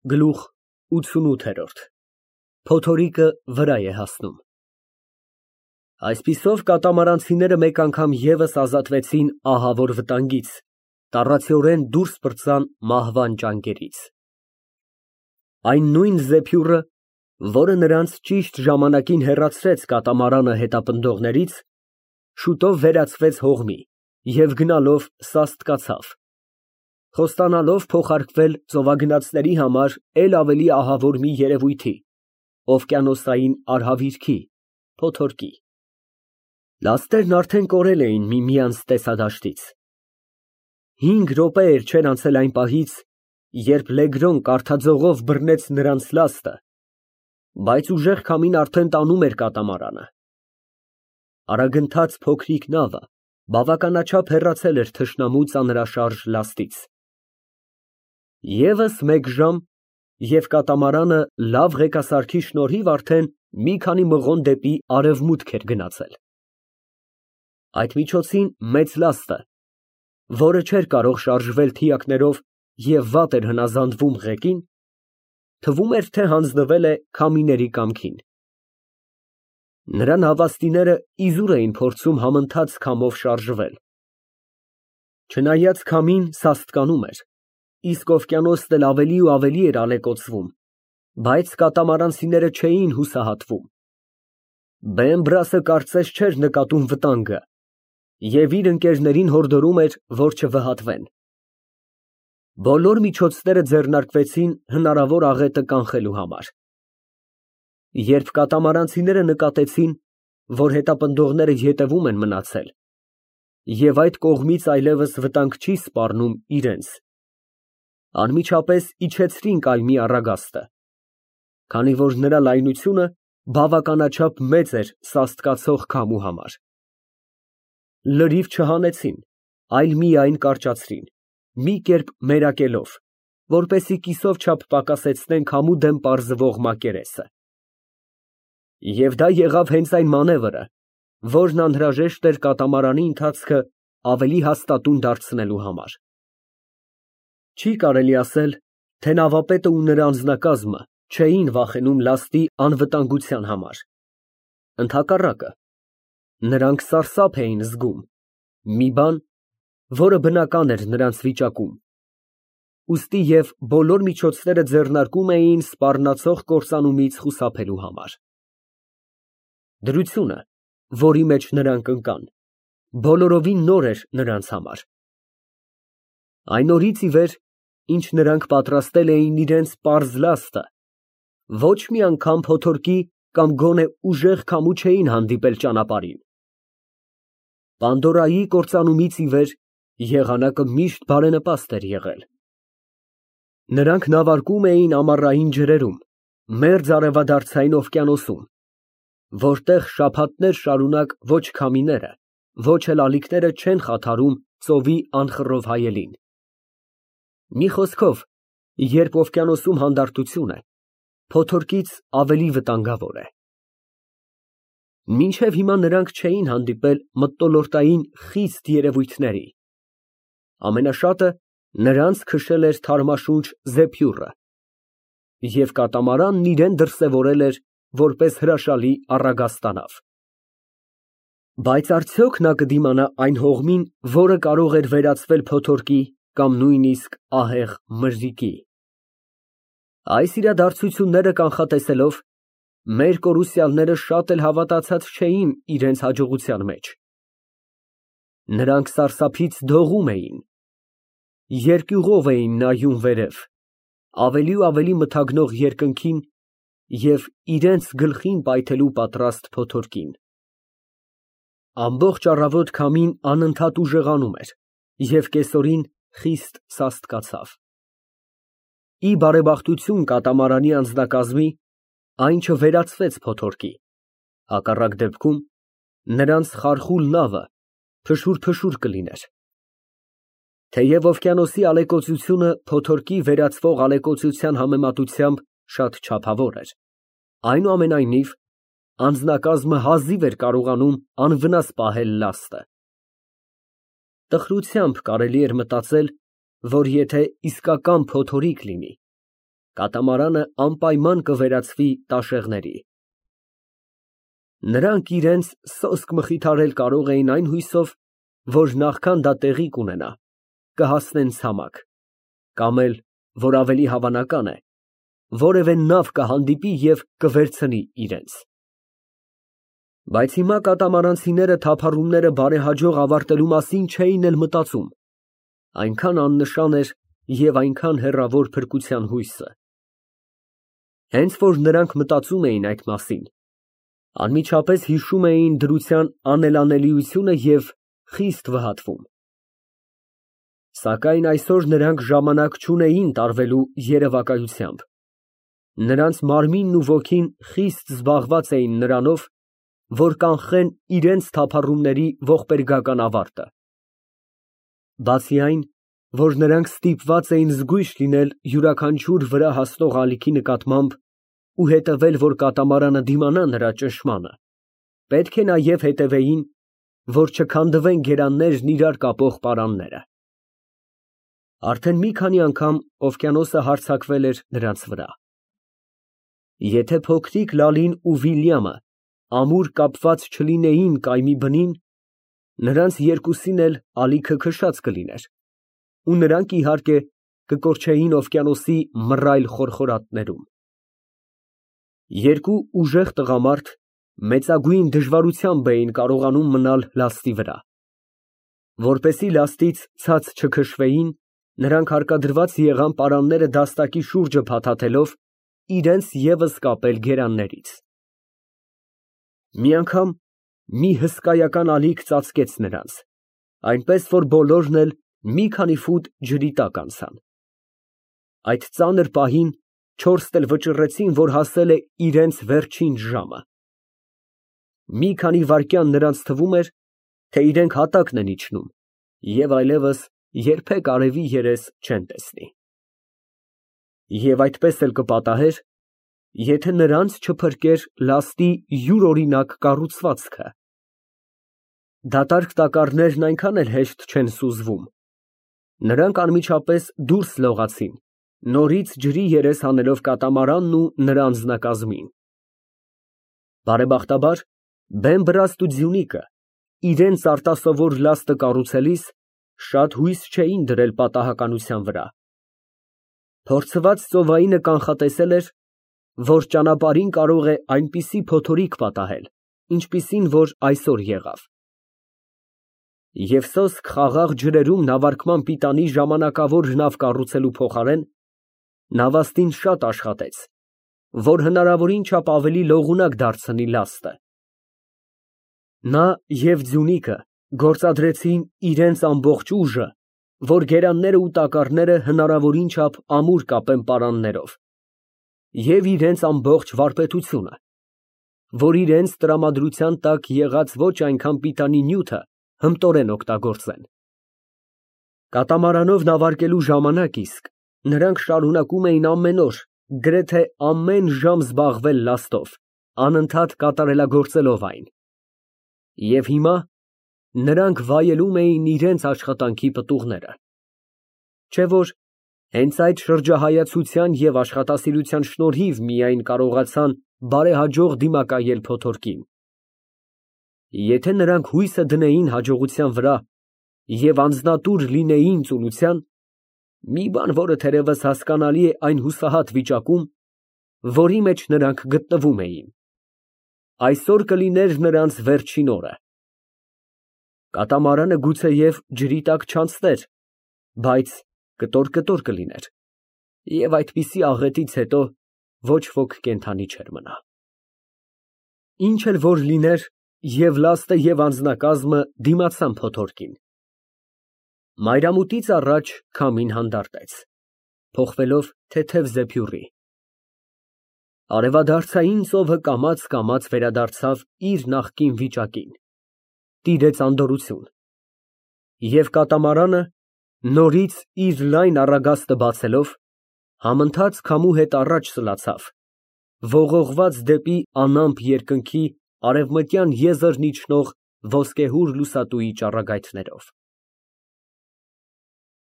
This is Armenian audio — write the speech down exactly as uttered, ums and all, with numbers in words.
Գլուխ ութսունութ Փոթորիկը վրա է հասնում։ Այսպիսով կատամարանցիները մեկ անգամ ևս ազատվեցին ահավոր վտանգից, տառացիորեն դուրս պրծան մահվան ճանկերից։ Այն նույն զեփյուռը, որը նրանց ճիշտ ժամանակին հեռացրեց կատամարանը հետապնդողներից, շուտով վերածվեց հողմի և գնալով սաստկացավ, խոստանալով փոխարկվել ծովագնացների համար էլ ավելի ահավոր մի երևույթի՝ օվկիանոսային արհավիրքի՝ փոթորկի։ Լաստերն արդեն կորել էին միմյանց տեսադաշտից։ Հինգ րոպեներ չէր անցել այն պահից, երբ Լեգրոն կառթաձողով բռնեց նրանց լաստը, բայց ուժեղ քամին արդեն տանում էր կատամարանը։ Արագընթաց փոքրիկ նավը բավականաչափ հեռացել էր թշնամու ծանրաշարժ լաստից։ ԵՒս մեկ ժամ, և կատամարանը լավ ղեկասարքի շնորհիվ արդեն մի քանի մղոն դեպի արևմուտք էր գնացել։ Այդ միջոցին մեծ լաստը, որը չէր կարող շարժվել թիակներով և վատ էր հնազանդվում ղեկին, թվում էր, թե հանձնվել է քամիների կամքին։ Նրա նավաստիները իզուր էին փորձում համընթաց քամով շարժվել։ Չնայած քամին սաստկանում էր, իսկ օվկիանոսն էլ ավելի ու ավելի էր ալեկոծվում, բայց կատամարանցիները չէին հուսահատվում։ Բեմբրասը կարծես չէր նկատում վտանգը և իր ընկերներին հորդորում էր, որ չվհատվեն։ Բոլոր միջոցները ձեռնարկվեցին հնարավոր աղետը կանխելու համար։ Երբ կատամարանցիները նկատեցին, որ հետապնդողները ետևում են մնացել և այդ կողմից այլևս վտանգ չի սպառնում իրենց, անմիջապես իջեցրին կայմի առագաստը, քանի որ նրա լայնությունը բավականաչափ մեծ էր սաստկացող քամու համար։ Լրիվ չհանեցին, այլ միայն կարճացրին, մի կերպ մերակելով, որպեսզի կիսով չափ պակասեցնեն քամու դեմ պարզվող մակերեսը։ Եվ դա եղավ հենց այն մանևրը, որն անհրաժեշտ էր կատամարանի ընթացքը ավելի հաստատուն դարձնելու համար։ Չի կարելի ասել, թե նավապետը ու նրա անձնակազմը չէին վախենում լաստի անվտանգության համար։ Ընդհակառակը, նրանք սարսափ էին զգում, մի բան, որը բնական էր նրանց վիճակում, ուստի և բոլոր միջոցները ձեռնարկում էին սպառնացող կործանումից խուսափելու համար։ Դրությունը, որի մեջ նրանք ընկան, բոլորովին նոր էր նրանց համար։ Այն օրից ի վեր, ինչ նրանք պատրաստել էին իրենց պարզ լաստը, ոչ մի անգամ փոթորկի կամ գոնե ուժեղ քամու չէին հանդիպել ճանապարհին։ Պանդորայի կործանումից ի վեր եղանակը միշտ բարենպաստ էր եղել։ Նրանք նավարկում էին ամառային ջրերում, մերձ արևադարձային օվկիանոսում, որտեղ շաբաթներ շարունակ ոչ քամիները, ոչ էլ ալիքները չեն խաթարում ծովի անխռով հայելին։ Մի խոսքով, երբ օվկիանոսում հանդարտություն է, փոթորկից ավելի վտանգավոր է։ Մինչև հիմա նրանք չէին հանդիպել մթնոլորտային խիստ երևույթների։ Ամենաշատը նրանց քշել էր թարմաշունչ զեփյուռը, և կատամարանն իրան դրսևորել էր որպես հրաշալի առագաստանավ։ Բայց արդյոք նա կդիմանա այն հողմին, որը կարող էր վերածվել փոթորկի կամ նույնիսկ ահեղ մրրիկի։ Այս իրադարձությունները կանխատեսելով, մեր կորուսյալները շատ էլ հավատացած չէին իրենց հաջողության մեջ։ Նրանք սարսափից դողում էին, երկյուղով էին նայում վերև, ավելի ու ավելի մթագնող երկնքին և իրենց գլխին պայթելու պատրաստ փոթորկին։ Ամբողջ առավոտ քամին անընդհատ ուժեղանում էր և կեսօրին խիստ սաստկացավ։ Ի բարեբախտություն կատամարանի անձնակազմի, այն չվերածվեց փոթորկի, հակառակ դեպքում նրանց խարխուլ նավը փշուր֊փշուր կլիներ։ Թեև օվկիանոսի ալեկոծությունը փոթորկի վերածվող ալեկոծության համեմատությամբ շատ չափավոր էր, այնուամենայնիվ անձնակազմը հազիվ էր կարողանում անվնաս պահել լաստը։ Տխրությամբ կարելի էր մտածել, որ եթե իսկական փոթորիկ լինի, Կատամարանը անպայման կվերածվի տաշեղների։ Նրանք իրենց սոսկ մխիթարել կարող էին այն հույսով, որ նախքան դա տեղի կունենա, կհասնեն ցամաք, կամ էլ, որ ավելի հավանական է, որևէ նավ կհանդիպի և կվերցնի իրենց։ Բայց հիմա կատամարանցիները թափառումները բարեհաջող ավարտելու մասին չէին էլ մտածում, այնքան աննշան էր և այնքան հեռավոր փրկության հույսը։ Հենց որ նրանք մտածում էին այդ մասին, անմիջապես հիշում էին դրության անելանելիությունը և խիստ վհատվում։ Սակայն այսօր նրանք ժամանակ չունեին տարվելու երևակայությամբ, նրանց մարմինն ու ոգին խիստ զբաղված էին նրանով, որ կանխեն իրենց թափառումների ողբերգական ավարտը։ Բացի այն, որ նրանք ստիպված էին զգույշ լինել յուրաքանչյուր վրա հասնող ալիքի նկատմամբ ու հետևել, որ կատամարանը դիմանա նրա ճնշմանը, պետք է նաև հետևեին, որ չքանդվեն գերաններն իրար կապող պարանները։ Արդեն մի քանի անգամ օվկիանոսը հարձակվել էր նրանց վրա։ Եթե փոքրիկ Լալին ու Վիլյամը ամուր կապված չլինեին կայմի բնին, նրանց երկուսին էլ ալիքը քշած կլիներ, ու նրանք, իհարկե, կկորչեին օվկիանոսի մռայլ խորխորատներում։ Երկու ուժեղ տղամարդ մեծագույն դժվարությամբ էին կարողանում մնալ լաստի վրա։ Որպեսզի լաստից ցած չքշվեին, նրանք հարկադրված եղան պարանները դաստակի շուրջը փաթաթելով իրենց ևս կապել գերաններից։ Մի անգամ մի հսկայական ալիք ծածկեց նրանց, այնպես որ բոլորն էլ մի քանի ֆուտ ջրի տակ անցան։ Այդ ծանր պահին չորսն էլ վճռեցին, որ հասել է իրենց վերջին ժամը։ Մի քանի վայրկյան նրանց թվում էր, թե իրենք հատակն են իջնում և այլևս երբեք արևի երես չեն տեսնի։ Եվ այդպես էլ կպատահեր, եթե նրանց չփրկեր լաստի յուրօրինակ կառուցվածքը։ Դատարկ տակառներն այնքան էլ հեշտ չեն սուզվում։ Նրանք անմիջապես դուրս լողացին, նորից ջրի երես հանելով կատամարանն ու նրա անձնակազմին։ Բարեբախտաբար, Բեմբրաստ ու Ձյունիկը իրենց արտասովոր լաստը կառուցելիս շատ հույս չէին դրել պատահականության վրա։ Փորձված ծովայինը կանխատեսել էր, որ ճանապարհին կարող է այնպիսի փոթորիկ պատահել, ինչպիսին որ այսօր եղավ։ Եվ սոսկ խաղաղ ջրերում նավարկման պիտանի ժամանակավոր նավ կառուցելու փոխարեն, նավաստին շատ աշխատեց, որ հնարավորին չափ ավելի լողունակ դարձնի լաստը։ Նա և Ձյունիկը գործադրեցին իրենց ամբողջ ուժը, որ գերանները ու տակառները հնարավորին չափ ամուր կապեն պարաններով, և իրենց ամբողջ վարպետությունը, որ իրենց տրամադրության տակ եղած ոչ այնքան պիտանի նյութը հմտորեն օգտագործեն։ Կատամարանով նավարկելու ժամանակ իսկ նրանք շարունակում էին ամեն օր, գրեթե ամեն ժամ զբաղվել լաստով, անընդհատ կատարելագործելով այն։ Եվ հիմա նրանք վայելում էին իրենց աշխատանքի պտուղները։ Չէ՞ որ հենց այդ շրջահայացության և աշխատասիրության շնորհիվ միայն կարողացան բարեհաջող դիմակայել փոթորկին։ Եթե նրանք հույսը դնեին հաջողության վրա և անձնատուր լինեին ծուլության, մի բան, որը թերևս հասկանալի է այն հուսահատ վիճակում, որի մեջ նրանք գտնվում էին, այսօր կլիներ նրանց վերջին օրը։ Կատամարանը գուցեև ջրի տակ չանցներ, բայց կտոր֊կտոր կլիներ, և այդպիսի աղետից հետո ոչ ոք կենդանի չէր մնա։ Ինչ էլ որ լիներ, և լաստը և անձնակազմը դիմացան փոթորկին։ Մայրամուտից առաջ քամին հանդարտեց, փոխվելով թեթև զեփյուռի։ Արևադարձային ծովը կամաց֊կամաց վերադարձավ իր նախկին վիճակին, տիրեց անդորրություն, և կատամարանը, նորից իր լայն առագաստը բացելով, համընթաց քամու հետ առաջ սլացավ, ողողված դեպի անամպ երկնքի արևմտյան եզրն իջնող ոսկեհուր լուսատուի ճառագայթներով։